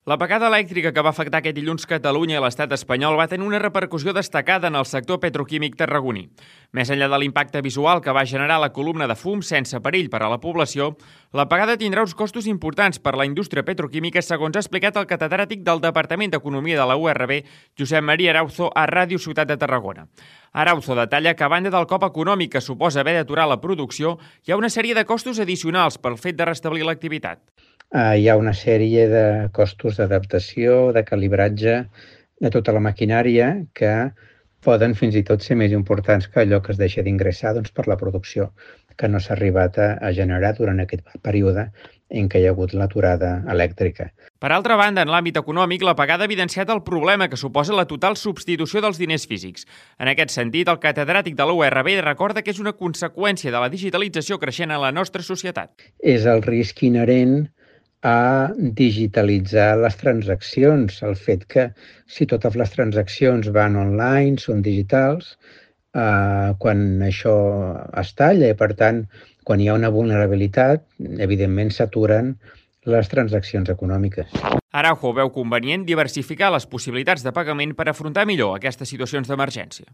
L'apagada elèctrica que va afectar aquest dilluns Catalunya i l'estat espanyol va tenir una repercussió destacada en el sector petroquímic tarragoní. Més enllà de l'impacte visual que va generar la columna de fum sense perill per a la població, l'apagada tindrà uns costos importants per a la indústria petroquímica, segons ha explicat el catedràtic del Departament d'Economia de la URB, Josep Maria Arauzo, a Ràdio Ciutat de Tarragona. Arauzo detalla que, a banda del cop econòmic que suposa haver d'aturar la producció, hi ha una sèrie de costos addicionals pel fet de restablir l'activitat. Hi ha una sèrie de costos d'adaptació, de calibratge de tota la maquinària que poden fins i tot ser més importants que allò que es deixa d'ingressar per la producció que no s'ha arribat a generar durant aquest període en què hi ha hagut l'aturada elèctrica. Per altra banda, en l'àmbit econòmic, l'apagada ha evidenciat el problema que suposa la total substitució dels diners físics. En aquest sentit, el catedràtic de la URB recorda que és una conseqüència de la digitalització creixent a la nostra societat. És el risc inherent a digitalitzar les transaccions, el fet que si totes les transaccions van online, són digitals, quan això es talla i, per tant, quan hi ha una vulnerabilitat, evidentment s'aturen les transaccions econòmiques. Araujo veu convenient diversificar les possibilitats de pagament per afrontar millor aquestes situacions d'emergència.